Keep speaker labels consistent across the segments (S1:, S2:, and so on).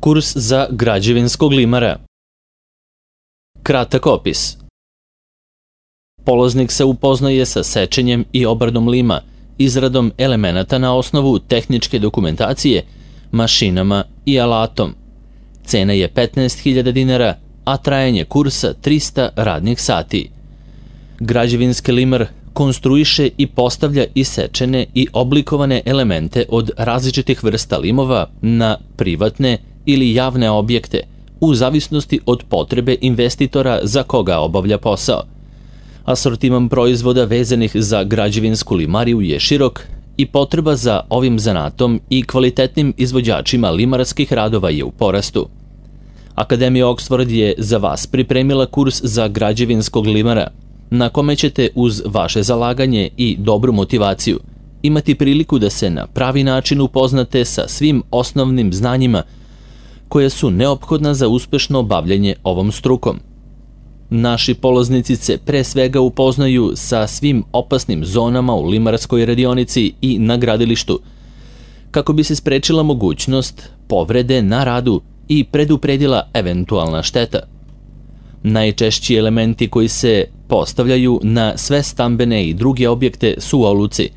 S1: Kurs za građevinskog limara. Kratak opis. Polaznik se upoznaje sa sečenjem i obradom lima, izradom elemenata na osnovu tehničke dokumentacije, mašinama i alatom. Cena je 15.000 dinara, a trajanje kursa 300 radnih sati. Građevinski limar konstruiše i postavlja isečene i oblikovane elemente od različitih vrsta limova na privatne ili javne objekte, u zavisnosti od potrebe investitora za koga obavlja posao. Asortiman proizvoda vezanih za građevinsku limariju je širok i potreba za ovim zanatom i kvalitetnim izvođačima limarskih radova je u porastu. Akademija Oxford je za vas pripremila kurs za građevinskog limara, na kome ćete uz vaše zalaganje i dobru motivaciju imati priliku da se na pravi način upoznate sa svim osnovnim znanjima koje su neophodna za uspešno bavljenje ovom strukom. Naši polaznici se pre svega upoznaju sa svim opasnim zonama u limarskoj radionici i na gradilištu, kako bi se sprečila mogućnost povrede na radu i predupredila eventualna šteta. Najčešći elementi koji se postavljaju na sve stambene i druge objekte su oluci.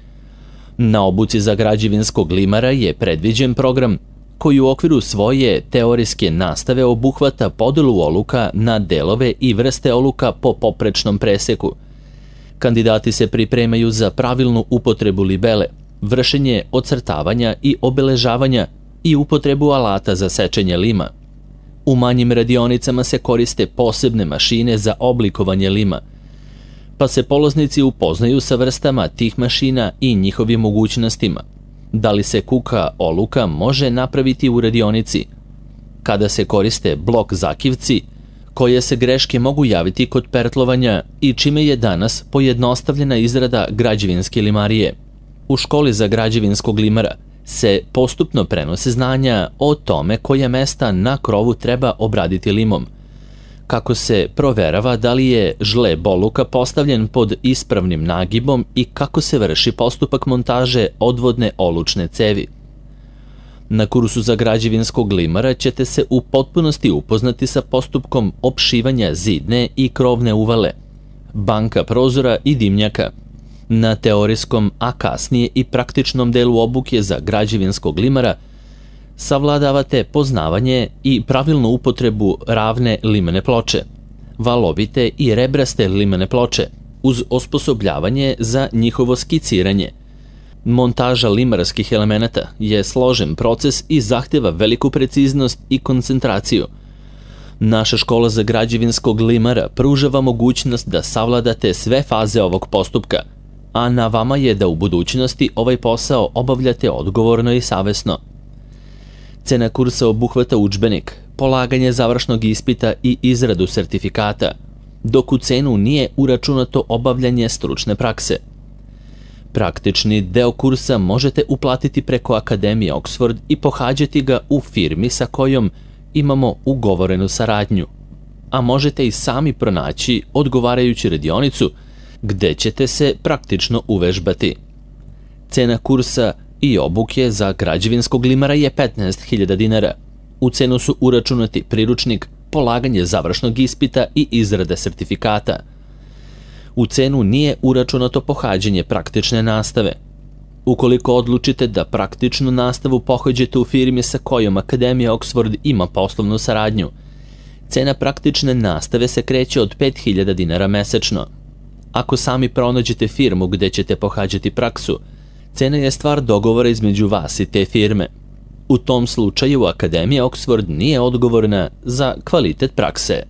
S1: Na obuci za građevinskog limara je predviđen program koji u okviru svoje teorijske nastave obuhvata podelu oluka na delove i vrste oluka po poprečnom preseku. Kandidati se pripremaju za pravilnu upotrebu libele, vršenje ocrtavanja i obeležavanja i upotrebu alata za sečenje lima. U manjim radionicama se koriste posebne mašine za oblikovanje lima, pa se polaznici upoznaju sa vrstama tih mašina i njihovim mogućnostima. Da li se kuka oluka može napraviti u radionici? Kada se koriste blok zakivci, koje se greške mogu javiti kod pertlovanja i čime je danas pojednostavljena izrada građevinske limarije. U školi za građevinskog limara se postupno prenose znanja o tome koja mesta na krovu treba obraditi limom, kako se proverava da li je žleb oluka postavljen pod ispravnim nagibom i kako se vrši postupak montaže odvodne olučne cevi. Na kursu za građevinskog limara ćete se u potpunosti upoznati sa postupkom opšivanja zidne i krovne uvale, banka prozora i dimnjaka. Na teorijskom, a kasnije i praktičnom delu obuke za građevinskog limara savladavate poznavanje i pravilnu upotrebu ravne limene ploče, valovite i rebraste limene ploče, uz osposobljavanje za njihovo skiciranje. Montaža limarskih elemenata je složen proces i zahteva veliku preciznost i koncentraciju. Naša škola za građevinskog limara pružava mogućnost da savladate sve faze ovog postupka, a na vama je da u budućnosti ovaj posao obavljate odgovorno i savesno. Cena kursa obuhvata udžbenik, polaganje završnog ispita i izradu sertifikata, dok u cenu nije uračunato obavljanje stručne prakse. Praktični deo kursa možete uplatiti preko Akademije Oxford i pohađati ga u firmi sa kojom imamo ugovorenu saradnju, a možete i sami pronaći odgovarajuću radionicu gde ćete se praktično uvežbati. Cena kursa i obuke za građevinskog limara je 15.000 dinara. U cenu su uračunati priručnik, polaganje završnog ispita i izrada sertifikata. U cenu nije uračunato pohađanje praktične nastave. Ukoliko odlučite da praktičnu nastavu pohađate u firmi sa kojom Akademija Oxford ima poslovnu saradnju, cena praktične nastave se kreće od 5.000 dinara mesečno. Ako sami pronađete firmu gde ćete pohađati praksu, cena je stvar dogovora između vas i te firme. U tom slučaju Akademija Oxford nije odgovorna za kvalitet prakse.